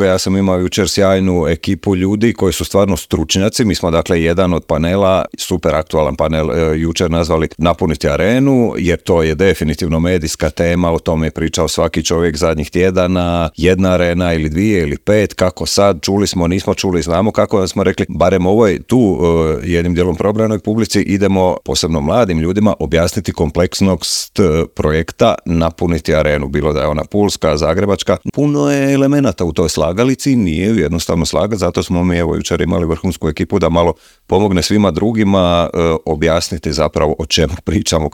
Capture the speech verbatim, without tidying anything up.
Ja sam imao jučer sjajnu ekipu ljudi koji su stvarno stručnjaci. Mi smo dakle jedan od panela, super aktualan panel, e, jučer nazvali Napuniti arenu, jer to je definitivno medijska tema, o tome je pričao svaki čovjek zadnjih tjedana, jedna arena ili dvije ili pet, kako sad, čuli smo, nismo čuli, znamo kako, smo rekli, barem ovoj tu e, jednim dijelom probranoj publici idemo, posebno mladim ljudima, objasniti kompleksnost projekta Napuniti arenu, bilo da je ona pulska, zagrebačka, puno je elemenata u toj slagalici, nije jednostavno slagati, zato smo mi evo jučer imali vrhunsku ekipu da malo pomogne svima drugima e, objasniti zapravo o čemu pričamo.